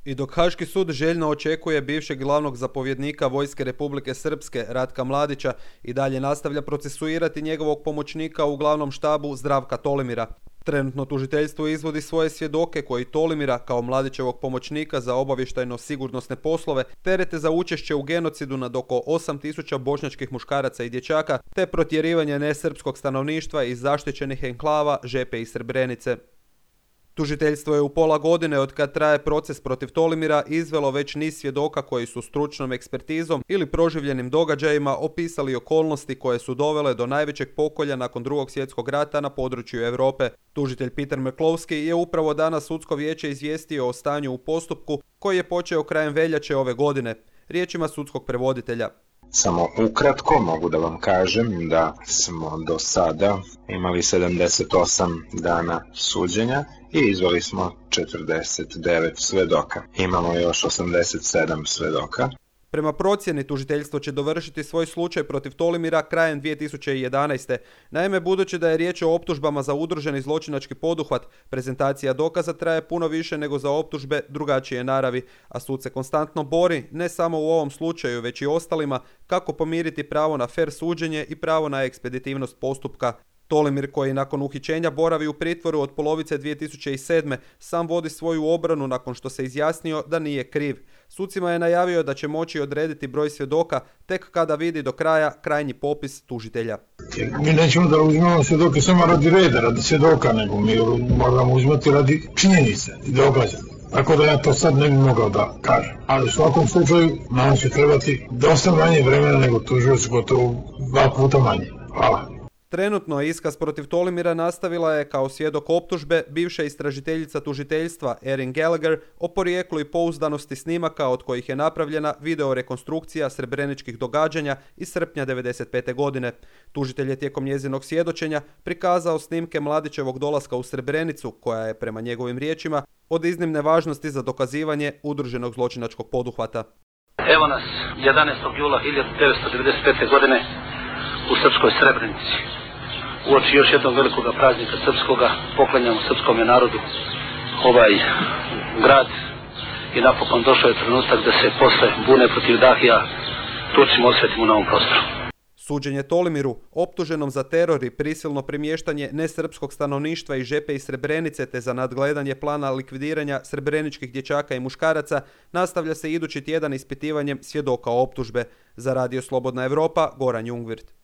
I dok Haški sud željno očekuje bivšeg glavnog zapovjednika Vojske Republike Srpske Ratka Mladića i dalje nastavlja procesuirati njegovog pomoćnika u glavnom štabu Zdravka Tolimira. Trenutno tužiteljstvo izvodi svoje svjedoke koji Tolimira kao Mladićevog pomoćnika za obavještajno-sigurnosne poslove terete za učešće u genocidu nad oko 8.000 bošnjačkih muškaraca i dječaka te protjerivanje nesrpskog stanovništva iz zaštićenih enklava Žepe i Srebrenice. Tužiteljstvo je u pola godine od kad traje proces protiv Tolimira izvelo već niz svjedoka koji su stručnom ekspertizom ili proživljenim događajima opisali okolnosti koje su dovele do najvećeg pokolja nakon Drugog svjetskog rata na području Europe. Tužitelj Peter McCloskey je upravo danas sudsko vijeće izvijestio o stanju u postupku koji je počeo krajem veljače ove godine. Riječima sudskog prevoditelja. Samo ukratko mogu da vam kažem da smo do sada imali 78 dana suđenja i izveli smo 49 svedoka. Imamo još 87 svedoka. Prema procjeni, tužiteljstvo će dovršiti svoj slučaj protiv Tolimira krajem 2011. Naime, budući da je riječ o optužbama za udruženi zločinački poduhvat, prezentacija dokaza traje puno više nego za optužbe drugačije naravi, a sud se konstantno bori, ne samo u ovom slučaju, već i ostalima, kako pomiriti pravo na fer suđenje i pravo na ekspeditivnost postupka. Tolimir, koji nakon uhićenja boravi u pritvoru od polovice 2007. sam vodi svoju obranu nakon što se izjasnio da nije kriv. Sucima je najavio da će moći odrediti broj svjedoka tek kada vidi do kraja krajnji popis tužitelja. Mi nećemo da uzmemo svjedoke samo radi reda, radi svjedoka, nego mi moramo uzmati radi činjenice i događaja. Tako da ja to sad ne bi mogao da kažem. Ali u svakom slučaju nam će trebati dosta manje vremena nego tužioc, gotovo 2 puta manje. Hvala. Trenutno iskaz protiv Tolimira nastavila je kao svjedok optužbe bivša istražiteljica tužiteljstva Erin Gallagher o porijeklu i pouzdanosti snimaka od kojih je napravljena videorekonstrukcija srebreničkih događanja iz srpnja 1995. godine. Tužitelj je tijekom njezinog svjedočenja prikazao snimke Mladićevog dolaska u Srebrenicu, koja je prema njegovim riječima od iznimne važnosti za dokazivanje udruženog zločinačkog poduhvata. Evo nas 11. jula 1995. godine u srpskoj Srebrenici. Uoči još jednog velikog praznika srpskoga poklanjamo srpskom narodu ovaj grad i napokon došao je trenutak da se posle bune protiv Dahija Turcima osvetimo na ovom prostoru. Suđenje Tolimiru, optuženom za teror i prisilno premještanje nesrpskog stanovništva iz Žepe i Srebrenice te za nadgledanje plana likvidiranja srebreničkih dječaka i muškaraca, nastavlja se idući tjedan ispitivanjem svjedoka optužbe. Za Radio Slobodna Europa, Goran Jungwirth.